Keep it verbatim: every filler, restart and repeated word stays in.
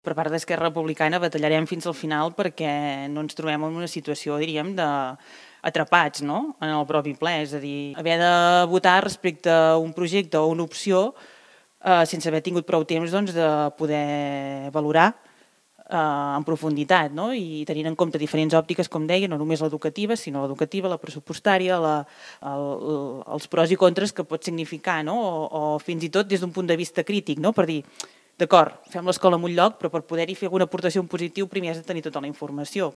Per part d'Esquerra Republicana batallarem fins al final perquè no ens trobem en una situació, diríem, d'atrapats, no?, en el propi ple. És a dir, haver de votar respecte a un projecte o una opció eh, sense haver tingut prou temps doncs, de poder valorar eh, en profunditat, no?, i tenint en compte diferents òptiques, com deia, no només l'educativa, sinó l'educativa, la pressupostària, la, el, els pros i contres que pot significar, no?, o, o fins i tot des d'un punt de vista crític, no?, per dir, d'acord, fem l'escola en un lloc, però per poder-hi fer alguna aportació en positiu primer has de tenir tota la informació.